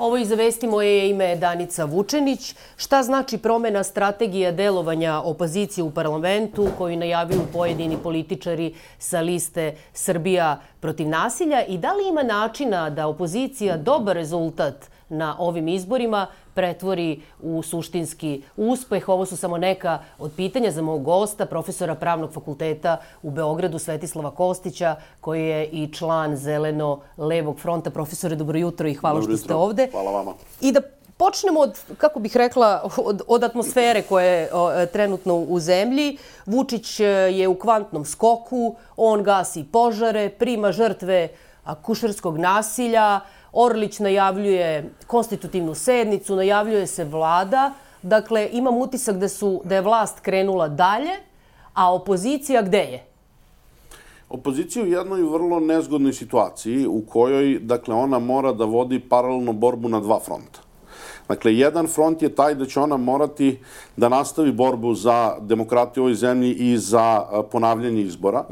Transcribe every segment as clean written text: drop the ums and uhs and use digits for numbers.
Ovo iz Vesti, moje ime je Danica Vučenić. Šta znači promena strategije delovanja opozicije u parlamentu koju najavljuju pojedini političari sa liste Srbija protiv nasilja i da li ima načina da opozicija dobar rezultat na ovim izborima pretvori u suštinski uspeh? Ovo su samo neka od pitanja za mog gosta, profesora Pravnog fakulteta u Beogradu, Svetislava Kostića, koji je i član Zeleno-levog fronta. Profesore, dobro jutro i hvala što ste ovde. Hvala vama. I da počnemo od, kako bih rekla, od atmosfere koja je trenutno u zemlji. Vučić je u kvantnom skoku, on gasi požare, prima žrtve akušerskog nasilja, Orlić najavljuje konstitutivnu sednicu, najavljuje se vlada. Dakle, imam utisak da je vlast krenula dalje, a opozicija gde je? Opozicija u jednoj vrlo nezgodnoj situaciji u kojoj, dakle, ona mora da vodi paralelno borbu na dva fronta. Dakle, jedan front je taj da će ona morati da nastavi borbu za demokratiju u ovoj zemlji i za ponavljanje izbora,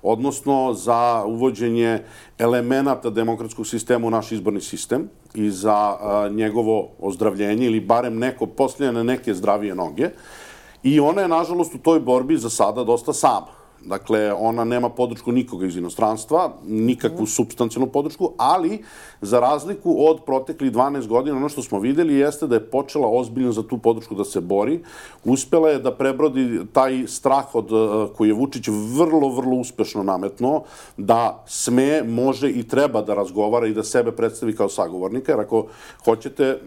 odnosno za uvođenje elemenata demokratskog sistema u naš izborni sistem i za njegovo ozdravljenje ili barem neko postavljanje na neke zdravije noge. I ona je, nažalost, u toj borbi za sada dosta sama. Dakle, ona nema podršku nikoga iz inostranstva, nikakvu supstancijalnu podršku, ali za razliku od proteklih 12 godina, ono što smo videli jeste da je počela ozbiljno za tu podršku da se bori. Uspela je da prebrodi taj strah koji je Vučić vrlo, vrlo uspešno nametnuo, da sme, može i treba da razgovara i da sebe predstavi kao sagovornika, jer ako hoćete,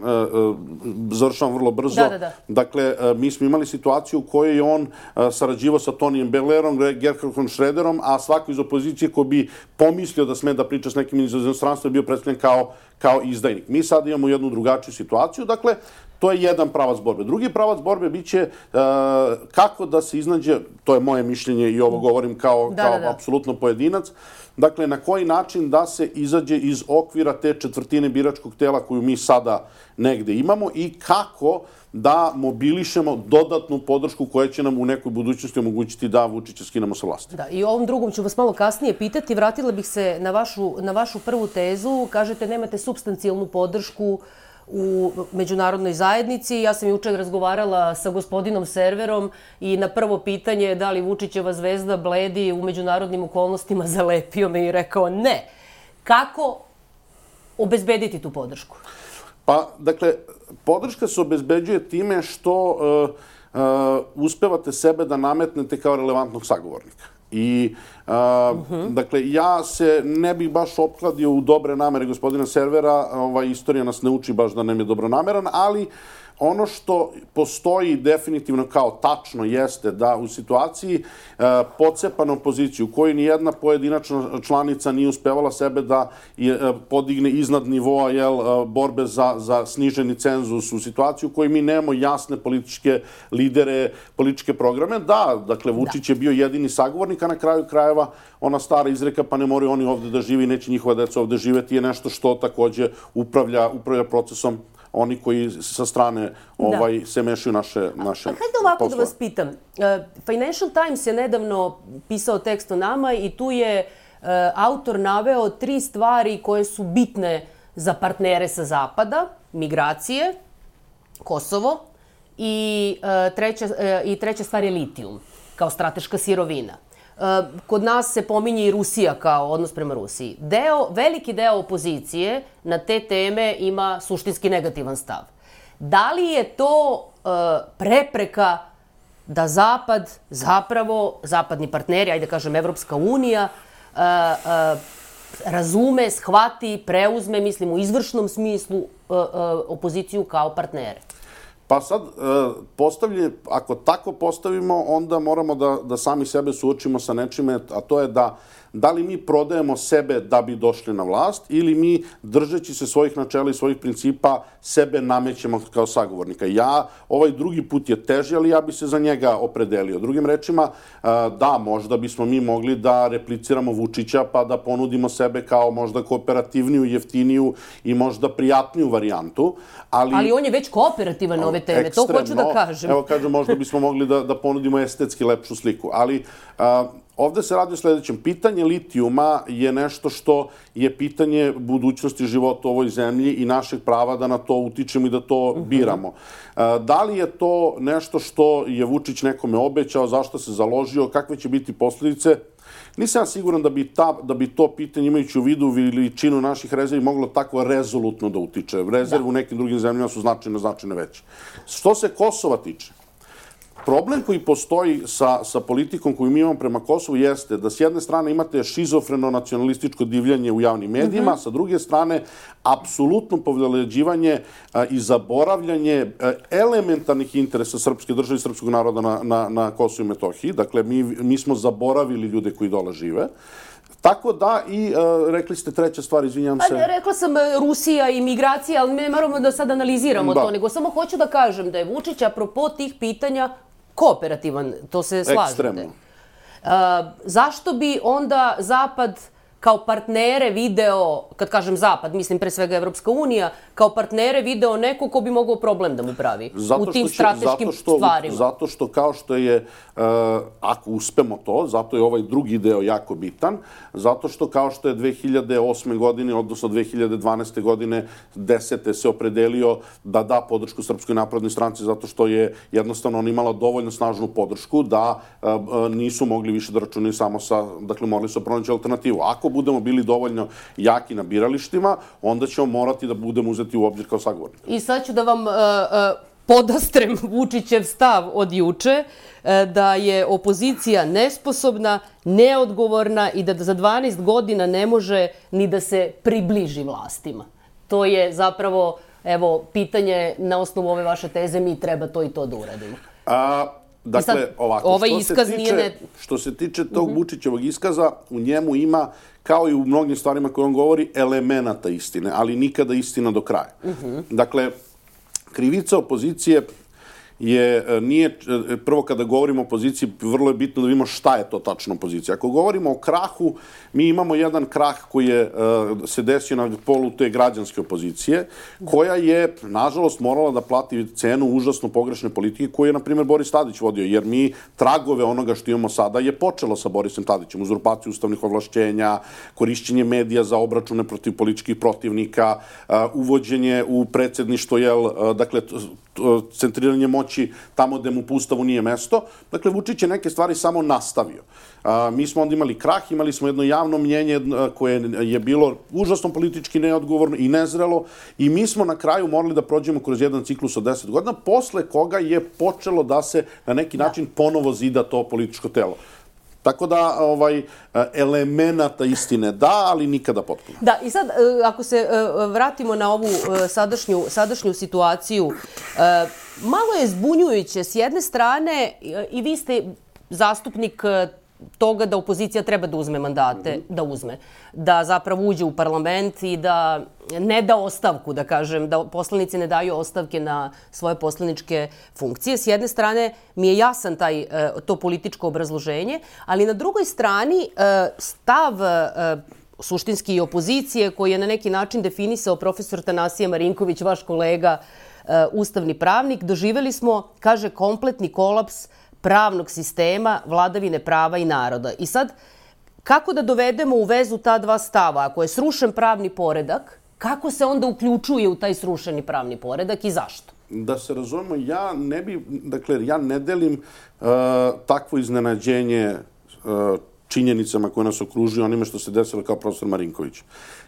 završavam vrlo brzo, dakle, mi smo imali situaciju u kojoj je on sarađivao sa Tonijem Bellerom, Gerhardom Schröderom, a svako iz opozicije ko bi pomislio da sme da priča s nekim iz inostranstva je bio predstavljen kao izdajnik. Mi sad imamo jednu drugačiju situaciju, dakle, to je jedan pravac borbe. Drugi pravac borbe biće kako da se iznađe, to je moje mišljenje i ovo govorim kao apsolutno pojedinac, dakle, na koji način da se izađe iz okvira te četvrtine biračkog tela koju mi sada negde imamo i kako da mobilišemo dodatnu podršku koja će nam u nekoj budućnosti omogućiti da Vučića skinemo sa vlasti. Da, i ovom drugom ću vas malo kasnije pitati. Vratila bih se na vašu prvu tezu. Kažete nemate supstancijalnu podršku u međunarodnoj zajednici. Ja sam juče razgovarala sa gospodinom Serverom i na prvo pitanje da li Vučićeva zvezda bledi u međunarodnim okolnostima zalepio me i rekao ne. Kako obezbediti tu podršku? Pa, dakle, podrška se obezbeđuje time što uspevate sebe da nametnete kao relevantnog sagovornika. I, dakle, ja se ne bih baš opkladio u dobre namere gospodina Servera, istorija nas ne uči baš da nam je dobronameran, ali ono što postoji definitivno kao tačno jeste da u situaciji pocepane opozicije u kojoj nijedna pojedinačna članica nije uspevala sebe da podigne iznad nivoa borbe za sniženi cenzus, u situaciji u kojoj mi nemamo jasne političke lidere, političke programe. Da, dakle, Vučić je bio jedini sagovornik, a na kraju krajeva ona stara izreka pa ne moraju oni ovde da živi, neće njihova deca ovde živeti, je nešto što takođe upravlja procesom oni koji sa strane se mešaju naše poslove. Hajde ovako da vas pitam. Financial Times je nedavno pisao tekst o nama i tu je autor naveo 3 stvari koje su bitne za partnere sa Zapada. Migracije, Kosovo i treća stvar je litijum kao strateška sirovina. Kod nas se pominje i Rusija kao odnos prema Rusiji. Veliki deo opozicije na te teme ima suštinski negativan stav. Da li je to prepreka da Zapad, zapravo, zapadni partneri, ajde kažem Evropska unija, razume, shvati, preuzme, mislim u izvršnom smislu, opoziciju kao partnere? Pa sad, ako tako postavimo, onda moramo da sami sebe suočimo sa nečime, a to je da li mi prodajemo sebe da bi došli na vlast ili mi, držeći se svojih načela i svojih principa, sebe namećemo kao sagovornika. Ovaj drugi put je teži, ali ja bi se za njega opredelio. Drugim rečima, da, možda bismo mi mogli da repliciramo Vučića pa da ponudimo sebe kao možda kooperativniju, jeftiniju i možda prijatniju varijantu. Ali on je već kooperativan ove teme, to hoću da kažem. Evo kažem, možda bismo mogli da ponudimo estetski lepšu sliku, ali ovde se radi o sledećem. Pitanje litijuma je nešto što je pitanje budućnosti života u ovoj zemlji i našeg prava da na to utičemo i da to biramo. Da li je to nešto što je Vučić nekome obećao, zašto se založio, kakve će biti posljedice? Nisam siguran da bi to pitanje, imajući u vidu veličinu naših rezervi, moglo tako rezolutno da utiče. Rezerve u nekim drugim zemljama su značajno veće. Što se Kosova tiče, problem koji postoji sa politikom koju mi imamo prema Kosovu jeste da s jedne strane imate šizofreno nacionalističko divljanje u javnim medijima, sa druge strane apsolutno poveleđivanje i zaboravljanje elementarnih interesa srpske države i srpskog naroda na Kosovu i Metohiji. Dakle, mi smo zaboravili ljude koji dole žive. Tako da i, rekli ste treća stvar, izvinjam se. Rekla sam Rusija i migracija, ali ne moramo da sad analiziramo to, nego samo hoću da kažem da je Vučić, apropo tih pitanja, kooperativan, to se slažete. Ekstremno. Zašto bi onda Zapad kao partnere video, kad kažem Zapad, mislim pre svega Evropska unija, kao partnere video neko ko bi mogao problem da mu pravi u tim strateškim stvarima? Zato što kao što je, ako uspemo to, zato je ovaj drugi deo jako bitan, zato što kao što je 2008. godine, odnosno 2012. godine, 10. se opredelio da da podršku Srpskoj naprednoj stranci, zato što je jednostavno on imala dovoljno snažnu podršku da nisu mogli više da računaju samo sa, dakle morali su pronaći alternativu. Ako budemo bili dovoljno jaki na biralištima, onda ćemo morati da budemo uzeti u obzir kao sagovornik. I sad ću da vam podastrem Vučićev stav od juče, da je opozicija nesposobna, neodgovorna i da za 12 godina ne može ni da se približi vlastima. To je zapravo, evo, pitanje na osnovu ove vaše teze, mi treba to i to da uradimo. Dakle, ovako, što se tiče tog Vučićevog iskaza, u njemu ima, kao i u mnogim stvarima koje on govori, elemenata istine, ali nikada istina do kraja. Dakle, krivica opozicije nije, prvo kada govorimo o opoziciji, vrlo je bitno da vidimo šta je to tačno opozicija. Ako govorimo o krahu, mi imamo jedan krah koji se desio na polu te građanske opozicije, koja je, nažalost, morala da plati cenu užasno pogrešne politike koju je, na primjer, Boris Tadić vodio, jer mi tragove onoga što imamo sada je počelo sa Borisom Tadićem, uzurpaciju ustavnih ovlašćenja, korišćenje medija za obračune protiv političkih protivnika, uvođenje u predsjedništvo, dakle, centriranje moći tamo gde mu po Ustavu nije mesto. Dakle, Vučić je neke stvari samo nastavio. Mi smo onda imali krah, imali smo jedno javno mnjenje koje je bilo užasno politički neodgovorno i nezrelo i mi smo na kraju morali da prođemo kroz jedan ciklus od 10 godina, posle koga je počelo da se na neki način ponovo zida to političko telo. Tako da, elemenata istine da, ali nikada potpuno. Da, i sad, ako se vratimo na ovu sadašnju situaciju, malo je zbunjujuće. S jedne strane, i vi ste zastupnik toga da opozicija treba da uzme mandate, da zapravo uđe u parlament i da ne da ostavku, da kažem, da poslanici ne daju ostavke na svoje poslaničke funkcije. S jedne strane mi je jasan to političko obrazloženje, ali na drugoj strani stav suštinski i opozicije koji je na neki način definisao profesor Tanasije Marinković, vaš kolega, ustavni pravnik, doživeli smo, kaže, kompletni kolaps pravnog sistema, vladavine prava i naroda. I sad, kako da dovedemo u vezu ta dva stava? Ako je srušen pravni poredak, kako se onda uključuje u taj srušeni pravni poredak i zašto? Da se razumemo, ja ne delim takvo iznenađenje činjenicama koje nas okružuju, onime što se desilo kao profesor Marinković.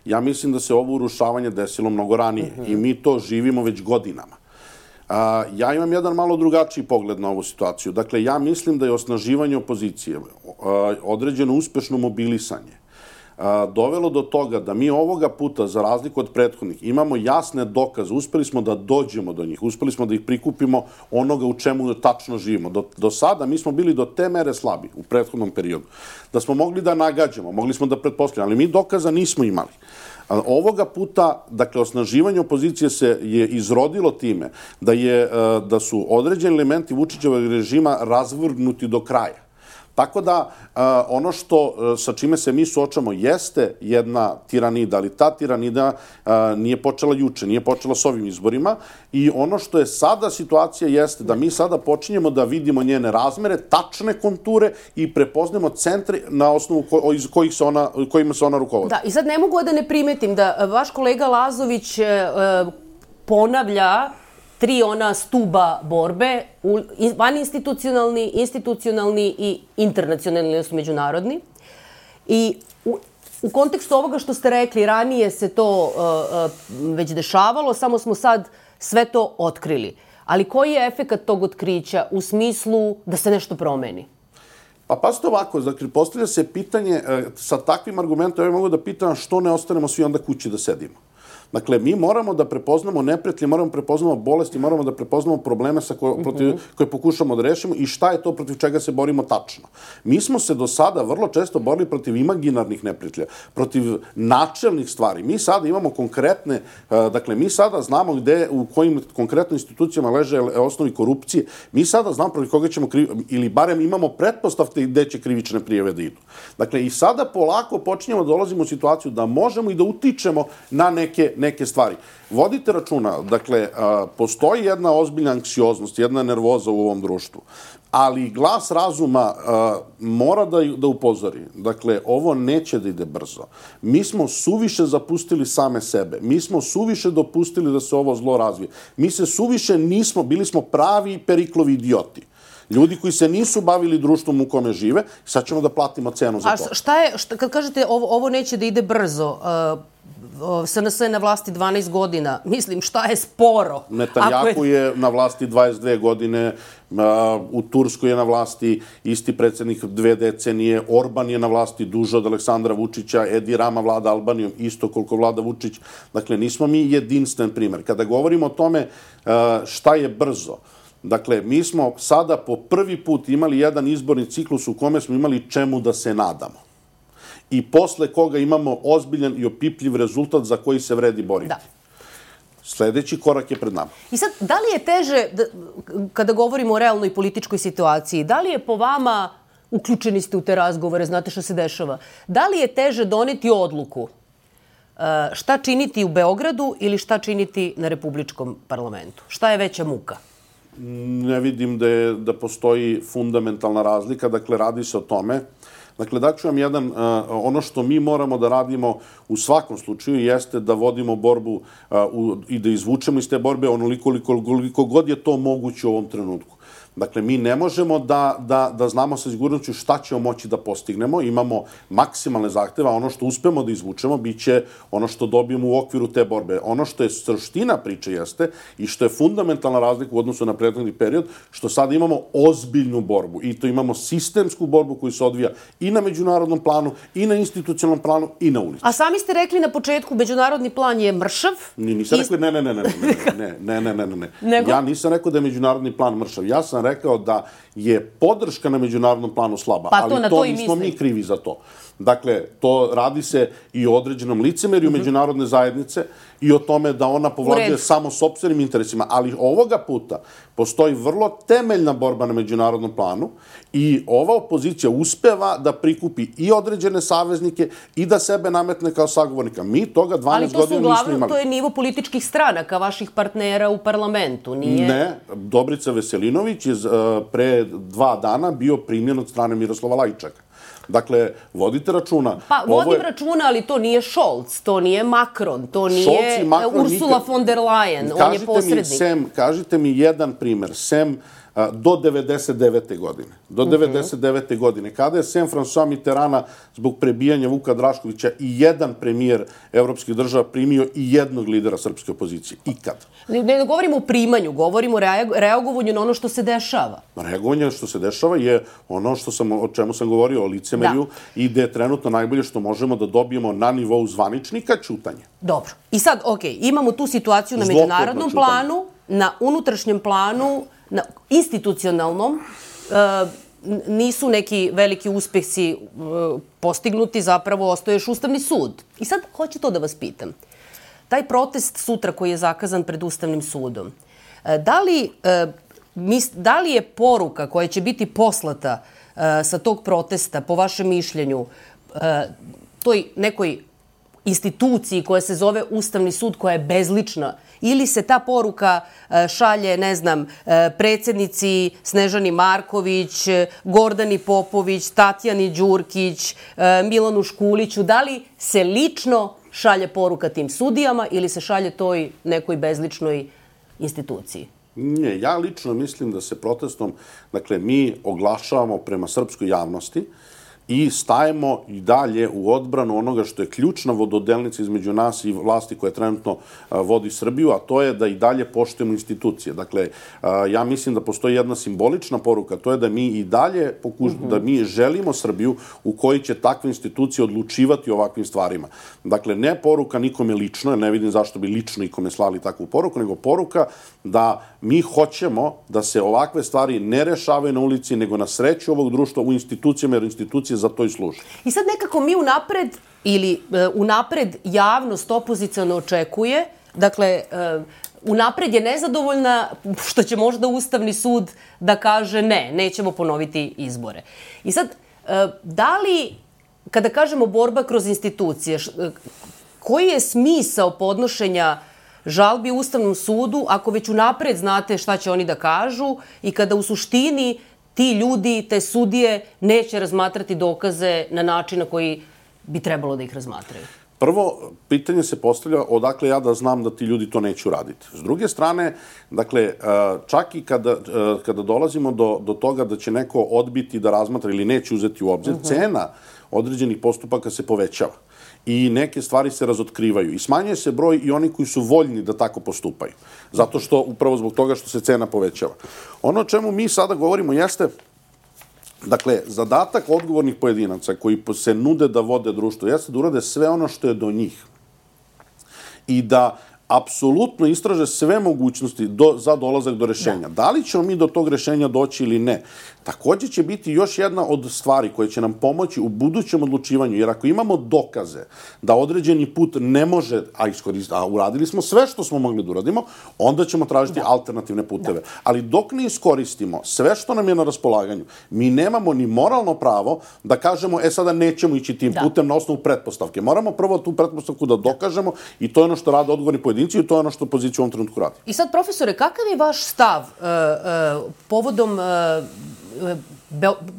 Ja mislim da se ovo urušavanje desilo mnogo ranije i mi to živimo već godinama. Ja imam jedan malo drugačiji pogled na ovu situaciju. Dakle, ja mislim da je osnaživanje opozicije, određeno uspešno mobilisanje, dovelo do toga da mi ovoga puta, za razliku od prethodnih, imamo jasne dokaze, uspeli smo da dođemo do njih, uspeli smo da ih prikupimo onoga u čemu tačno živimo. Do sada mi smo bili do te mere slabi u prethodnom periodu, da smo mogli da nagađamo, mogli smo da pretpostavljamo, ali mi dokaza nismo imali. Ovoga puta, dakle, osnaživanje opozicije se je izrodilo time da su određeni elementi Vučićevog režima razvrgnuti do kraja. Tako da ono sa čime se mi suočamo jeste jedna tiranida, ali ta tiranida nije počela juče, nije počela s ovim izborima i ono što je sada situacija jeste da mi sada počinjemo da vidimo njene razmere, tačne konture i prepoznamo centre na osnovu kojima se ona rukovodi. Da, i sad ne mogu da ne primetim da vaš kolega Lazović ponavlja 3 ona stuba borbe, vaninstitucionalni, institucionalni i internacionalni, odnosno međunarodni. I u kontekstu ovoga što ste rekli, ranije se to već dešavalo, samo smo sad sve to otkrili. Ali koji je efekat tog otkrića u smislu da se nešto promeni? Pa pazite ovako, dakle, postavlja se pitanje, sa takvim argumentom, ja mogu da pitam što ne ostanemo svi onda kući da sedimo. Dakle, mi moramo da prepoznamo neprijatelje, moramo da prepoznamo bolesti, moramo da prepoznamo probleme koje pokušamo da rešimo i šta je to protiv čega se borimo tačno. Mi smo se do sada vrlo često borili protiv imaginarnih neprijatelja, protiv načelnih stvari. Mi sada imamo konkretne, dakle, mi sada znamo u kojim konkretnim institucijama leže osnovi korupcije. Mi sada znamo protiv koga ćemo ili barem imamo pretpostavke gde će krivične prijave da idu. Dakle, i sada polako počinjemo da dolazimo u situaciju da možemo i da utičemo na neke stvari. Vodite računa, dakle, postoji jedna ozbiljna anksioznost, jedna nervoza u ovom društvu, ali glas razuma mora da upozori. Dakle, ovo neće da ide brzo. Mi smo suviše zapustili same sebe. Mi smo suviše dopustili da se ovo zlo razvije. Mi se suviše bili smo pravi Periklovi idioti. Ljudi koji se nisu bavili društvom u kome žive, sad ćemo da platimo cenu za to. A šta je, kad kažete ovo neće da ide brzo, SNS je na vlasti 12 godina. Mislim, šta je sporo? Netanjahu je na vlasti 22 godine, u Turskoj je na vlasti isti predsjednik 2 decenije, Orban je na vlasti duže od Aleksandra Vučića, Edi Rama vlada Albanijom isto koliko vlada Vučić. Dakle, nismo mi jedinstven primer. Kada govorimo o tome šta je brzo, dakle, mi smo sada po prvi put imali jedan izborni ciklus u kome smo imali čemu da se nadamo. I posle koga imamo ozbiljan i opipljiv rezultat za koji se vredi boriti. Da. Sljedeći korak je pred nama. I sad, da li je teže, kada govorimo o realnoj političkoj situaciji, da li je po vama, uključeni ste u te razgovore, znate što se dešava, da li je teže doneti odluku šta činiti u Beogradu ili šta činiti na Republičkom parlamentu? Šta je veća muka? Ne vidim da postoji fundamentalna razlika, dakle, radi se o tome. Dakle, daću vam ono što mi moramo da radimo u svakom slučaju jeste da vodimo borbu i da izvučemo iz te borbe onoliko god je to moguće u ovom trenutku. Dakle, mi ne možemo da znamo sa sigurnošću šta ćemo moći da postignemo. Imamo maksimalne zahteve, a ono što uspemo da izvučemo biće ono što dobijemo u okviru te borbe. Ono što je suština priče jeste i što je fundamentalna razlika u odnosu na prethodni period, što sada imamo ozbiljnu borbu i to imamo sistemsku borbu koju se odvija i na međunarodnom planu, i na institucionalnom planu, i na ulici. A sami ste rekli na početku, međunarodni plan je mršav. Nisam rekli, ne. Ja nisam rekao da je međunarodni plan mršav. Ja sam rekao da je podrška na međunarodnom planu slaba, ali to nismo mi krivi za to. Dakle, to radi se i o određenom licemerju međunarodne zajednice i o tome da ona povlađuje samo sopstvenim interesima, ali ovoga puta postoji vrlo temeljna borba na međunarodnom planu i ova opozicija uspeva da prikupi i određene saveznike i da sebe nametne kao sagovornika. Mi toga 12 godina nismo imali. To je nivo političkih stranaka, vaših partnera u parlamentu, nije? Ne, Dobrica Veselinović je pre 2 dana bio primljen od strane Miroslava Lajčaka. Dakle, vodite računa. Pa, vodim računa, ali to nije Scholz, to nije Macron, to nije Ursula von der Leyen, on je posrednik. Kažite mi jedan primer, do 99. godine. Do 99. godine. Kada je sem François Mitterranda zbog prebijanja Vuka Draškovića i jedan premijer evropskih država primio i jednog lidera srpske opozicije? Ikad. Ne govorimo o primanju, govorimo o reagovanju na ono što se dešava. Reagovanje što se dešava je ono o čemu sam govorio, o licemerju i da je trenutno najbolje što možemo da dobijemo na nivou zvaničnika ćutanje. Dobro. I sad, imamo tu situaciju na međunarodnom planu, na unutrašnjem planu, na institucionalnom, nisu neki veliki uspesi postignuti, zapravo ostaje još Ustavni sud. I sad hoću to da vas pitam. Taj protest sutra koji je zakazan pred Ustavnim sudom, da li je poruka koja će biti poslata sa tog protesta, po vašem mišljenju, toj nekoj instituciji koja se zove Ustavni sud, koja je bezlična, ili se ta poruka šalje, ne znam, predsjednici Snežani Marković, Gordani Popović, Tatjani Đurkić, Milanu Škuliću, da li se lično šalje poruka tim sudijama ili se šalje toj nekoj bezličnoj instituciji? Ne, ja lično mislim da se protestom, dakle, mi oglašavamo prema srpskoj javnosti i stajemo i dalje u odbranu onoga što je ključna vododelnica između nas i vlasti koja trenutno vodi Srbiju, a to je da i dalje poštujemo institucije. Dakle, ja mislim da postoji jedna simbolična poruka, to je da mi i dalje da mi želimo Srbiju u kojoj će takve institucije odlučivati o ovakvim stvarima. Dakle, ne poruka nikome lično, ne vidim zašto bi lično ikome slali takvu poruku, nego poruka da mi hoćemo da se ovakve stvari ne rešavaju na ulici, nego na sreću ovog društva u institucijama, jer institucije za to i služe. I sad nekako mi unapred javnost opoziciono očekuje, dakle, unapred je nezadovoljna što će možda Ustavni sud da kaže ne, nećemo ponoviti izbore. I sad, da li, kada kažemo borba kroz institucije, koji je smisao podnošenja žalbi Ustavnom sudu ako već unapred znate šta će oni da kažu i kada u suštini ti ljudi, te sudije, neće razmatrati dokaze na način na koji bi trebalo da ih razmatraju? Prvo, pitanje se postavlja odakle ja da znam da ti ljudi to neće uraditi. S druge strane, dakle, čak i kada dolazimo do toga da će neko odbiti da razmatra ili neće uzeti u obzir, cena određenih postupaka se povećava i neke stvari se razotkrivaju i smanjuje se broj i oni koji su voljni da tako postupaju. Zato što, upravo zbog toga što se cena povećava. Ono o čemu mi sada govorimo jeste, dakle, zadatak odgovornih pojedinaca koji se nude da vode društvo jeste da urade sve ono što je do njih i da apsolutno istraže sve mogućnosti za dolazak do rešenja. Da li ćemo mi do tog rešenja doći ili ne? Takođe će biti još jedna od stvari koje će nam pomoći u budućem odlučivanju, jer ako imamo dokaze da određeni put ne može, a uradili smo sve što smo mogli da uradimo, onda ćemo tražiti alternativne puteve. Ali dok ne iskoristimo sve što nam je na raspolaganju, mi nemamo ni moralno pravo da kažemo, sada nećemo ići tim putem na osnovu pretpostavke. Moramo prvo tu pretpostavku da dokažemo i to je ono što rade odgovorni pojedinci i to je ono što opozicija u ovom trenutku radi. I sad, profesore, kakav je vaš stav povodom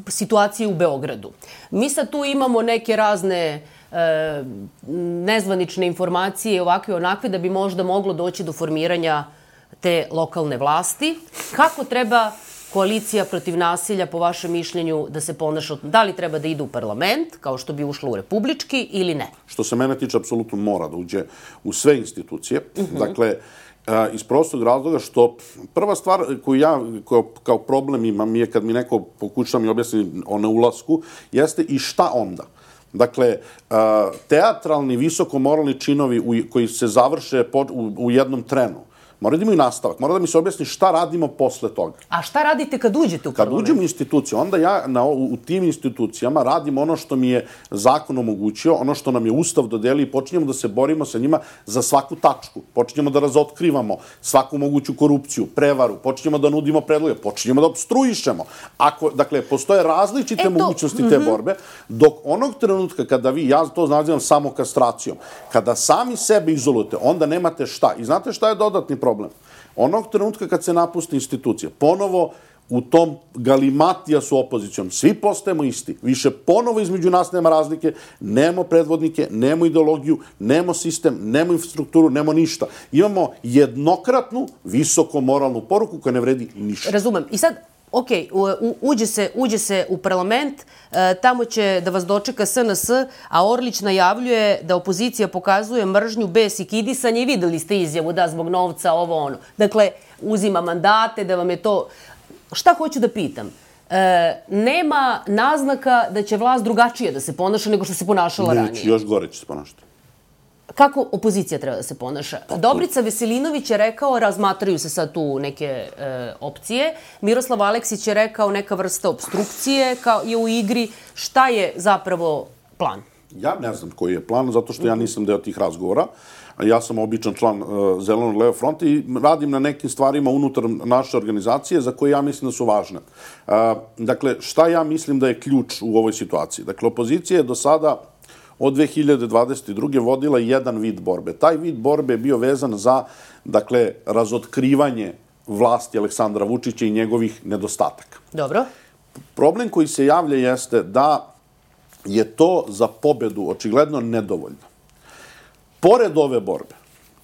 situacije u Beogradu? Mi sad tu imamo neke razne nezvanične informacije, ovakve onakve, da bi možda moglo doći do formiranja te lokalne vlasti. Kako treba koalicija protiv nasilja, po vašem mišljenju, da se ponaša? Da li treba da ide u parlament, kao što bi ušlo u republički, ili ne? Što se mene tiče, apsolutno mora da uđe u sve institucije. Dakle, iz prostog razloga što prva stvar koju ja kao problem imam je kad mi neko pokuša mi objasni o neulasku, jeste i šta onda. Dakle, teatralni, visokomoralni činovi koji se završe u jednom trenu, mora da imaju nastavak, mora da mi se objasni šta radimo posle toga. A šta radite kad uđete u parlament? Kad uđem u instituciju, onda ja u tim institucijama radim ono što mi je zakon omogućio, ono što nam je Ustav dodelio i počinjemo da se borimo sa njima za svaku tačku. Počinjemo da razotkrivamo svaku moguću korupciju, prevaru, počinjemo da nudimo predloge, počinjemo da obstruišemo. Dakle, postoje različite mogućnosti te borbe, dok onog trenutka kada vi, ja to nazivam samokastracijom, kada sami sebe izolujete, onda nemate šta. I znate šta je dodatni problem? Onog trenutka kad se napuste institucije, ponovo u tom galimatija su opozicijom, svi postajemo isti. Više ponovo između nas nema razlike, nemo predvodnike, nemo ideologiju, nemo sistem, nemo infrastrukturu, nemo ništa. Imamo jednokratnu, visoko moralnu poruku koja ne vredi ništa. Razumem. I sad, ok, uđe se u parlament, tamo će da vas dočeka SNS, a Orlić najavljuje da opozicija pokazuje mržnju, bes i kidisanje i videli ste izjavu da zbog novca ovo ono. Dakle, uzima mandate, da vam je to... Šta hoću da pitam? Nema naznaka da će vlast drugačije da se ponaša nego što se ponašala ranije. Neće, još gore će se ponašati. Kako opozicija treba da se ponaša? Dobrica Veselinović je rekao, razmatraju se sad tu neke opcije. Miroslav Aleksić je rekao neka vrsta obstrukcije je u igri. Šta je zapravo plan? Ja ne znam koji je plan, zato što ja nisam deo tih razgovora, ja sam običan član Zelenog levog fronta i radim na nekim stvarima unutar naše organizacije za koje ja mislim da su važne. Dakle, šta ja mislim da je ključ u ovoj situaciji? Dakle, opozicija je do sada od 2022. vodila jedan vid borbe. Taj vid borbe je bio vezan za, dakle, razotkrivanje vlasti Aleksandra Vučića i njegovih nedostataka. Dobro. Problem koji se javlja jeste da je to za pobedu očigledno nedovoljno. Pored ove borbe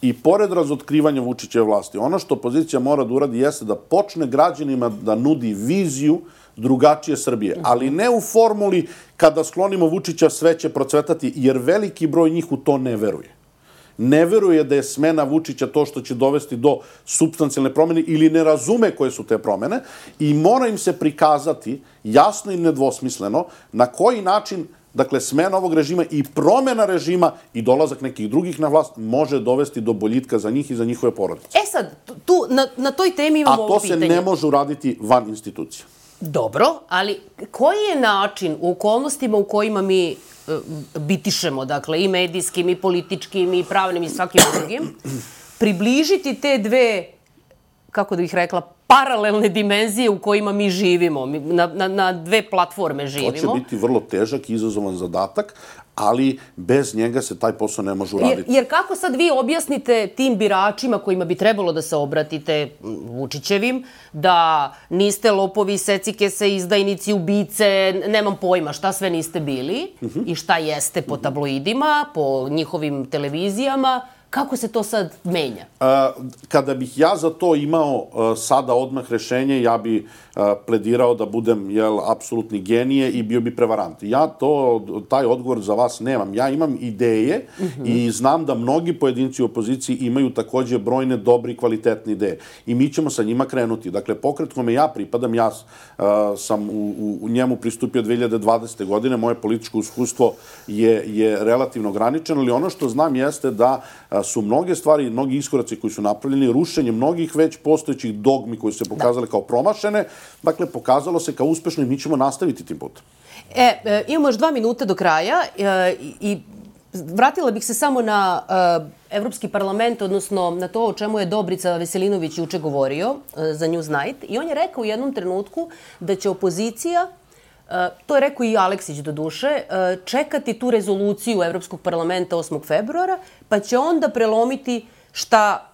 i pored razotkrivanja Vučićeve vlasti, ono što opozicija mora da uradi jeste da počne građanima da nudi viziju drugačije Srbije, ali ne u formuli kada sklonimo Vučića sve će procvetati, jer veliki broj njih u to ne veruje. Ne veruje da je smena Vučića to što će dovesti do supstancijalne promene ili ne razume koje su te promene i mora im se prikazati jasno i nedvosmisleno na koji način, dakle, smena ovog režima i promena režima i dolazak nekih drugih na vlast može dovesti do boljitka za njih i za njihove porodice. E sad, tu na toj temi imamo ovo pitanje. A to se ne može uraditi van institucija. Dobro, ali koji je način u okolnostima u kojima mi bitišemo, dakle, i medijskim, i političkim, i pravnim, i svakim drugim, približiti te dve, kako da bih rekla, paralelne dimenzije u kojima mi živimo, na dve platforme živimo. To će biti vrlo težak i izazovan zadatak, ali bez njega se taj posao ne može uraditi. Jer kako sad vi objasnite tim biračima kojima bi trebalo da se obratite Vučićevim, da niste lopovi, secikese, izdajnici, ubice, nemam pojma šta sve niste bili i šta jeste po tabloidima, po njihovim televizijama, kako se to sad menja? Kada bih ja za to imao sada odmah rešenje, ja bi pledirao da budem apsolutni genije i bio bi prevarant. Ja taj odgovor za vas nemam. Ja imam ideje i znam da mnogi pojedinci u opoziciji imaju takođe brojne dobre i kvalitetne ideje. I mi ćemo sa njima krenuti. Dakle, pokret kome ja pripadam, ja sam u njemu pristupio 2020. godine, moje političko iskustvo je relativno ograničeno, ali ono što znam jeste da su mnoge stvari, mnogi iskoraci koji su napravljeni, rušenje mnogih već postojećih dogmi koji su se pokazale kao promašene, dakle, pokazalo se kao uspešno i mi ćemo nastaviti tim putem. Imamo još 2 minuta do kraja i vratila bih se samo na Evropski parlament, odnosno na to o čemu je Dobrica Veselinović juče govorio za Newsnight. I on je rekao u jednom trenutku da će opozicija, to je rekao i Aleksić do duše, čekati tu rezoluciju Evropskog parlamenta 8. februara, pa će onda prelomiti šta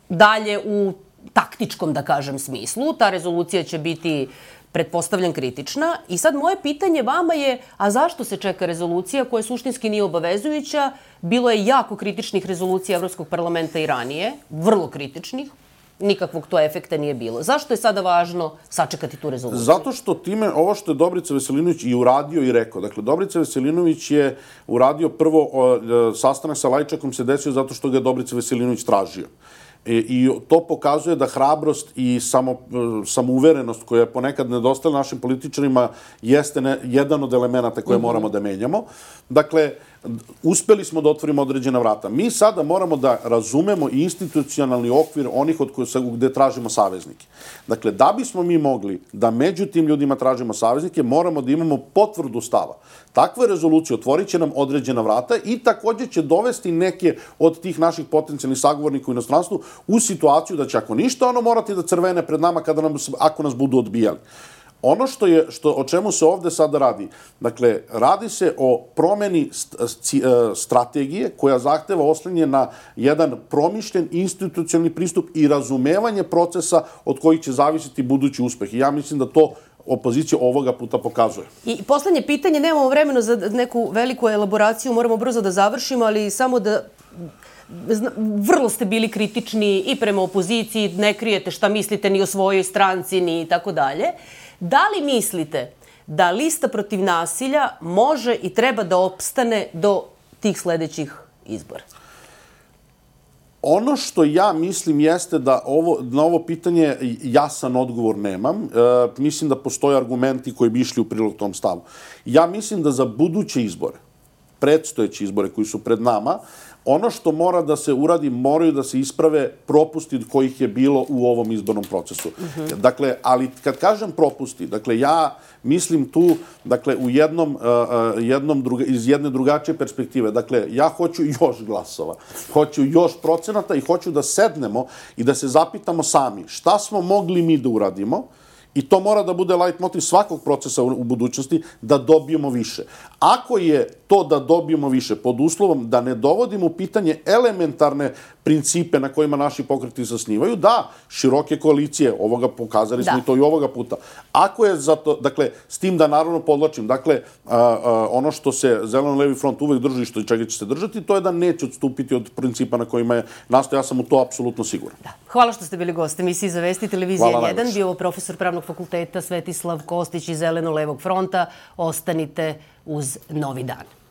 dalje u taktičkom, da kažem, smislu. Ta rezolucija će biti, pretpostavljam, kritična. I sad moje pitanje vama je, a zašto se čeka rezolucija koja suštinski nije obavezujuća? Bilo je jako kritičnih rezolucija Evropskog parlamenta i ranije, vrlo kritičnih. Nikakvog to efekta nije bilo. Zašto je sada važno sačekati tu rezoluciju? Zato što time, ovo što je Dobrica Veselinović i uradio i rekao, dakle, Dobrica Veselinović je uradio prvo sastanak sa Lajčakom se desio zato što ga je Dobrica Veselinović tražio. I to pokazuje da hrabrost i samouverenost koja je ponekad nedostala našim političarima jeste jedan od elemenata koje moramo da menjamo. Dakle, uspeli smo da otvorimo određena vrata. Mi sada moramo da razumemo institucionalni okvir onih gde tražimo saveznike. Dakle, da bismo mi mogli da među tim ljudima tražimo saveznike, moramo da imamo potvrdu stava. Takve rezolucije otvorit će nam određena vrata i takođe će dovesti neke od tih naših potencijalnih sagovornika u inostranstvu u situaciju da će, ako ništa, ono morati da crvene pred nama ako nas budu odbijali. Ono o čemu se ovde sada radi, dakle, radi se o promeni strategije koja zahteva oslanjanje na jedan promišljen institucionalni pristup i razumevanje procesa od kojih će zavisiti budući uspeh. I ja mislim da to opozicija ovoga puta pokazuje. I poslednje pitanje, nemamo vremena za neku veliku elaboraciju, moramo brzo da završimo, ali samo da... Vrlo ste bili kritični i prema opoziciji, ne krijete šta mislite ni o svojoj stranci, ni tako dalje. Da li mislite da lista protiv nasilja može i treba da opstane do tih sledećih izbora? Ono što ja mislim jeste da na ovo pitanje jasan odgovor nemam. Mislim da postoje argumenti koji bi išli u prilog tom stavu. Ja mislim da za buduće izbore, predstojeće izbore koji su pred nama, ono što mora da se uradi, moraju da se isprave propusti kojih je bilo u ovom izbornom procesu. Dakle, ali kad kažem propusti, dakle, ja mislim tu, dakle, u iz jedne drugačije perspektive. Dakle, ja hoću još glasova, hoću još procenata i hoću da sednemo i da se zapitamo sami šta smo mogli mi da uradimo. I to mora da bude leitmotiv svakog procesa u budućnosti, da dobijemo više. Ako je to da dobijemo više pod uslovom da ne dovodimo u pitanje elementarne principe na kojima naši pokreti zasnivaju, da, široke koalicije, ovoga pokazali smo i to i ovoga puta. Ako je za to, dakle, s tim da naravno podlačim, dakle, ono što se Zeleno-levi front uvek drži, što i čega će se držati, to je da neće odstupiti od principa na kojima je nastao. Ja sam u to apsolutno siguran. Hvala što ste bili gost emisiji Za vesti Televizija 1. Bio profesor Pravnog fakulteta Svetislav Kostić iz Zeleno-levog fronta. Ostanite uz Novi dan.